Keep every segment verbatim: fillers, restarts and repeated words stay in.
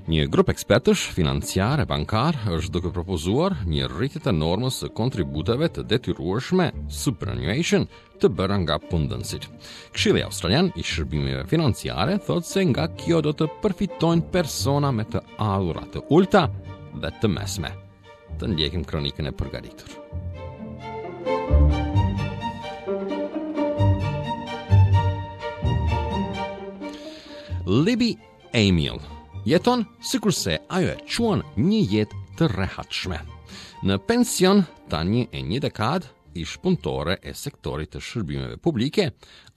Një grup ekspertësh financiar e bankar është duke propozuar një rritje të normës së kontributeve të detyrueshme, superannuation, të bëra nga punëdhënësit. Këshilli Australian i Shërbimeve Financiare thotë se nga kjo do të përfitojnë persona me të ardhura të ulta dhe të mesme. Të ndjekim kronikën e përgatitur. Libby Amiel jeton sikurse ajo e quan një jetë të rehatshme. Në pension tani e një dekadë, ish punëtore e sektorit të shërbimeve publike,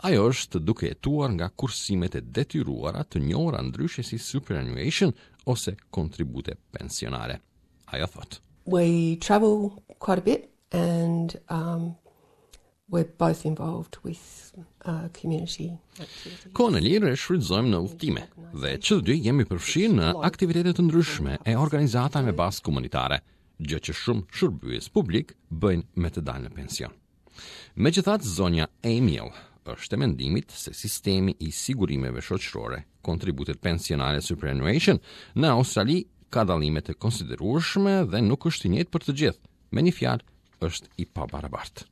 ajo është duke jetuar nga kursimet e detyruara, të njohura ndryshe si superannuation ose kontribute pensionale. Ajo thotë: We travel quite a bit and um, we're both involved with uh, community activities. Kohën e lirë e shfrytëzojmë në udhëtime dhe që të dy jemi përfshirë në aktivitete të ndryshme e organizata me bazë komunitare, gjë që shumë shërbyes publik bëjnë me të dalë në pension. Megjithatë, zonja Amiel është e mendimit se sistemi i sigurimeve shoqërore, kontributet pensionale, superannuation, në Australi ka dallime të konsiderueshme dhe nuk është i njëjtë për të gjithë. Me një fjalë, është i pabarabartë.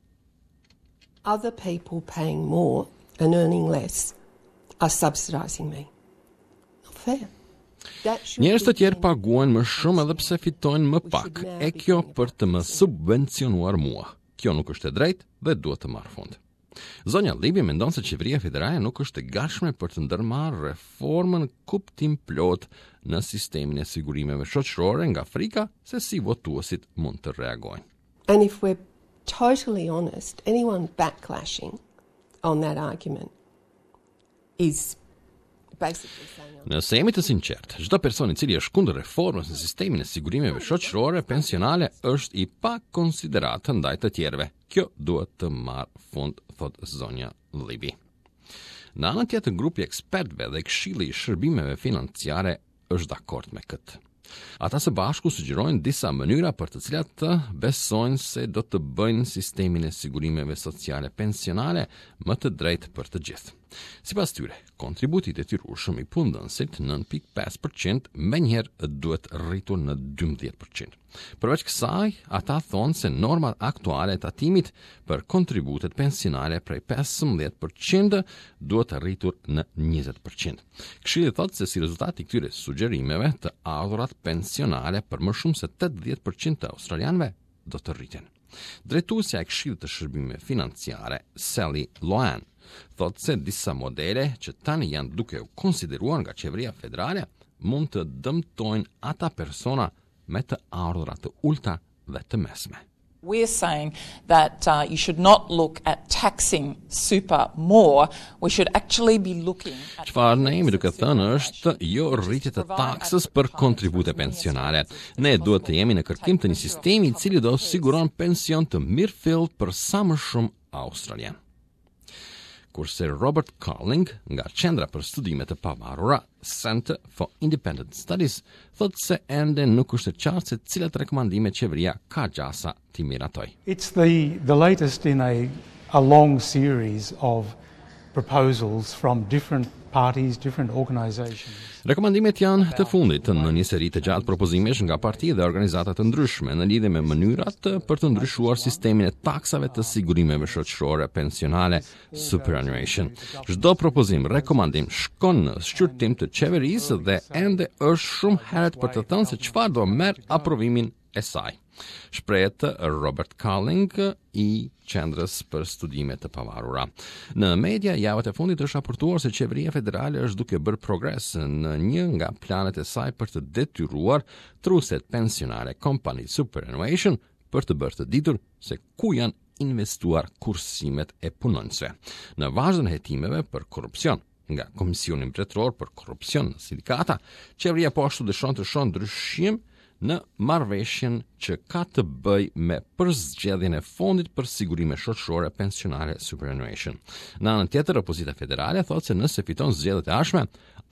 Other people paying more and earning less are subsidizing me. Not fair. That should Njerëz të be tjerë paguajnë më shumë edhe pse fitojnë më pak, e kjo për të më subvencionuar mua. Kjo nuk është e drejtë dhe duhet të marrë fund. Zonja Libby mendon se qeveria federale nuk është e gatshme për të ndërmarrë reformën kuptimplot në sistemin e sigurimeve shoqërore nga frika se si votuesit mund të reagojnë. And if we're totally honest, anyone backlashing on that argument is basically saying, Nëse jemi të sinqertë, çdo person i cili është kundër reformës në sistemin e sigurimeve shoqërore pensionale është i pa konsideratë ndaj të tjerëve. Kjo duhet të marrë fund, thot zonja Libby. Në anën tjetër, grupi i ekspertëve dhe Këshilli i Shërbimeve Financiare është dakord me këtë. Ata së bashku sugjerojnë disa mënyra për të cilat të besojnë se do të bëjnë sistemin e sigurimeve sociale pensionale më të drejtë për të gjithë. Sipas tyre, kontributi i detyrueshëm i punëdhënësit nëntë pikë pesë për qind menjëherë duhet rritur në dymbëdhjetë për qind. Përveç kësaj, ata thonë se normat aktuale e tatimit për kontributet pensionale prej pesëmbëdhjetë për qind duhet rritur në njëzet për qind. Këshilli thotë se si rezultat i këtyre sugjerimeve, të ardhurat pensionale për më shumë se tetëdhjetë për qind të australianëve do të rriten. Drejtuesja e Këshillit të Shërbimeve Financiare, Sally Loane, thotë se disa modele që tani janë duke u konsideruar nga qeveria federale mund të dëmtojnë ata persona me të ardhura të ulta dhe të mesme. We're saying that uh, you should not look at taxing super more. We should actually be looking at Çfarë ne jemi duke thënë është jo rritje të taksës për kontribute pensionale. Ne duhet të jemi në kërkim të një sistemi i cili do siguron pension të mirëfillt për sa më shumë australian. Kurse Robert Carling nga Qendra për Studime të Pavarura, Center for Independent Studies, thotë se ende nuk është e qartë se cilat rekomandime qeveria ka gjasa t'i miratoj. It's the, the latest in a, a long series of proposals from different parties, different organizations. Rekomandimet janë të fundit në një seri të gjatë propozimesh nga parti dhe organizata të ndryshme në lidhje me mënyrat për të ndryshuar sistemin e taksave të sigurimeve shoqërore pensionale, superannuation. Çdo propozim, rekomandim shkon në shqyrtim të qeverisë dhe ende është shumë herët për të thënë se çfarë do merr aprovimin e saj. Shprehet Robert Carling i Qendrës për Studime të Pavarura. Në media javët e fundit është raportuar se qeveria federale është duke bërë progres në një nga planet e saj për të detyruar trustet pensionale, company superannuation, për të bërë të ditur se ku janë investuar kursimet e punonjësve. Në vazhdën e hetimeve për korrupsion nga Komisioni Mbretëror për Korrupsion në Sindikata, qeveria po ashtu dëshon të shohë ndryshim në marrëveshjen që ka të bëj me përzgjedhjen e fondit për sigurime shoqërore pensionale, superannuation. Në anën tjetër, opozita federale thotë se nëse fiton zgjedhjet e ardhshme,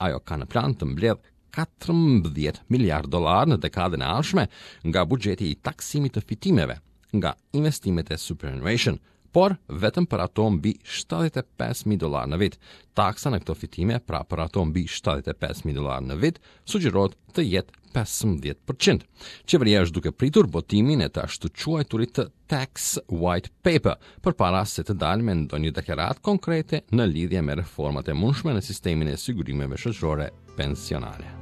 ajo ka në plan të mbledh katërmbëdhjetë miliard dollar në dekadën e ardhshme nga buxheti i taksimit të fitimeve nga investimet e superannuation, Por vetëm për ato mbi shtatëdhjetë e pesë mijë dollar në vit. Taksa në këto fitime, pra për ato mbi shtatëdhjetë e pesë mijë dollar në vit, sugjerohet të jetë pesëmbëdhjetë për qind. Qeveria është duke pritur botimin e të ashtuquajturit të Tax White Paper, përpara se të dalë me ndonjë deklaratë konkrete në lidhje me reformat e mundshme në sistemin e sigurimeve shoqërore pensionale.